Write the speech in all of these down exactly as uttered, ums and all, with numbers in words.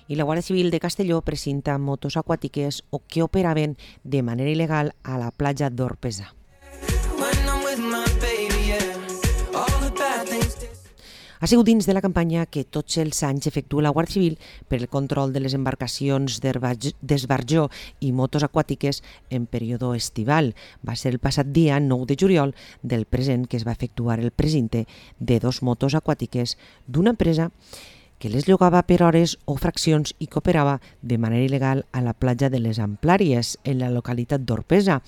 i la Guàrdia Civil de Castelló presenta motos aquàtiques o que operaven de manera il·legal a la platja d'Orpesa. Ha sigut dins de la campanya que tots els anys efectua la Guàrdia Civil per el control de les embarcacions d'esbarjó i motos aquàtiques en període estival. Va ser el passat dia nou de juliol del present que es va efectuar el presinte de dos motos aquàtiques d'una empresa que les llogava per hores o fraccions i que operava de manera il·legal a la platja de les Amplàries, en la localitat d'Orpesa.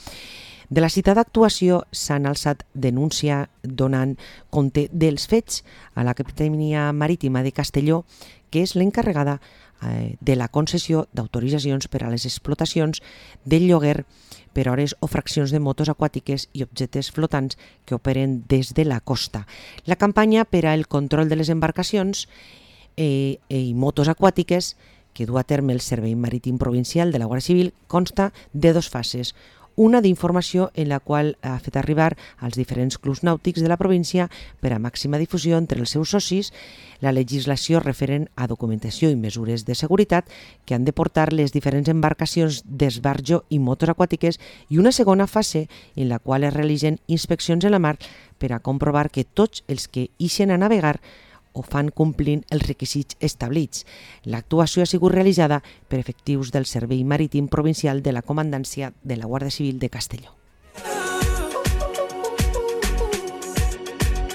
De la citada actuació s'han alçat denúncia donant compte dels fets a la Capitania Marítima de Castelló, que és l'encarregada de la concessió d'autoritzacions per a les explotacions del lloguer per hores o fraccions de motos aquàtiques i objectes flotants que operen des de la costa. La campanya per al control de les embarcacions i motos aquàtiques que du a terme el Servei Marítim Provincial de la Guàrdia Civil consta de dos fases. Una d'informació en la qual ha fet arribar als diferents clubs nàutics de la província per a màxima difusió entre els seus socis la legislació referent a documentació i mesures de seguretat que han de portar les diferents embarcacions d'esbarjo i motos aquàtiques, i una segona fase en la qual es realitzen inspeccions en la mar per a comprovar que tots els que ixen a navegar o fan complint els requisits establits. L'actuació ha sigut realitzada per efectius del Servei Marítim Provincial de la Comandància de la Guàrdia Civil de Castelló.